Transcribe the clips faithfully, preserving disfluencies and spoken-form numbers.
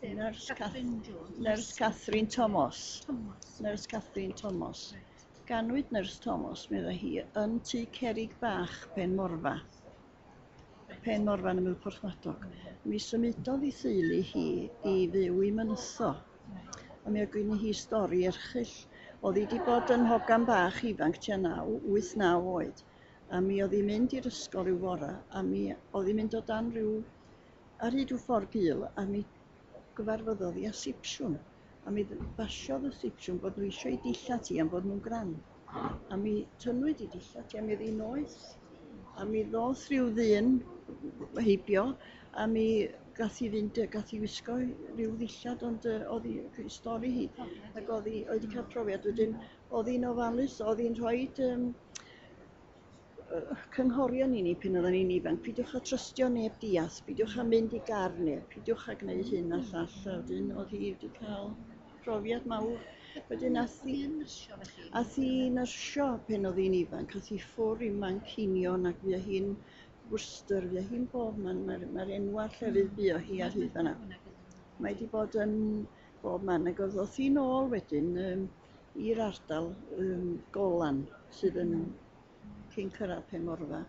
Sef Nyrs Catherine Jones. Nyrs Catherine Thomas. Thomas. Nyrs Catherine Thomas. Reit. Ganwyd Nyrs Thomas, medda hi, yn Tŷ Cerrig Bach, Penmorfa. Penmorfa yn ymyl Porthmadog. Mi symudodd ei theulu hi i fyw i Mynytho. A mi oedd gen hi stori erchyll. Oedd hi wedi bod yn hogan bach ifanc tua naw, wyth naw oed. A mi oedd hi'n mynd i'r ysgol ryw fora, a mi oedd hi'n mynd o dan ryw, ar hyd ryw ffordd gul, a mi gyfarfyddodd hi â sipsiwn. A mi basiodd y sipsiwn bod nhw eisiau ei dillad hi am bod nhw'n gran. A mi tynnwyd ei dillad hi a mi oedd hi'n noeth. A mi ddoth rhyw ddyn heibio a mi gath hi fynd, gath hi wisgo rhyw ddillad, ond yy oedd hi, stori hi, ac oedd hi oedd hi cael profiad. Wedyn oedd hi'n ofalus, oedd hi'n rhoi um, cynghorion i ni pan oedden ni'n ifanc. Peidiwch â trystio neb diarth, peidiwch â mynd i gar neb, peidiwch â gwneud hyn a llall. A wedyn oedd hi wedi cael profiad mawr. Wedyn ath hi, Oedd hi'n nyrsio felly? Ath hi nyrsio pan oedd hi'n ifanc, ath hi ffwrdd i Manceinion ac fuo hi'n Worcester, fuo hi'n bob man, mae'r mae enwa'r llefydd buo hi ar hyd fan'na. Mae wedi bod yn bob man, ac oedd ddoth hi nôl wedyn um, i'r ardal um, Golan sydd yn cyn cyrraedd Penmorfa,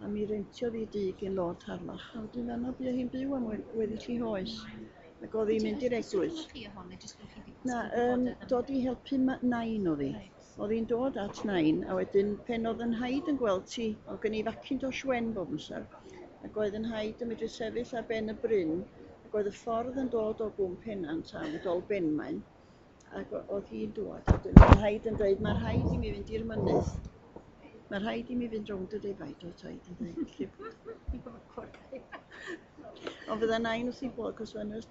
a mi rentiodd hi dŷ gen Lord Harlech, a wedyn fan'na buo hi'n byw am weddill ei hoes. Ac oedd hi'n mynd i'r eglwys. Na, um, dod i helpu nain oedd hi. Oedd hi'n dod at nain, a wedyn pen oedd yn nhaid yn gweld ti, oedd gen i Macintosh wen bob amser, ac oedd yn nhaid yn medru sefyll ar ben y bryn, ac oedd y ffordd yn dod o Gwm Pennant am Dolbenmaen, ac oedd hi'n dod, a wedyn oedd nhaid yn dweud, "Mae rhaid i mi fynd i'r mynydd. Mae rhaid i mi fynd rownd y defaid," oedd taid yn dweud. Ond fydda nain wrth ei bodd, cos oedd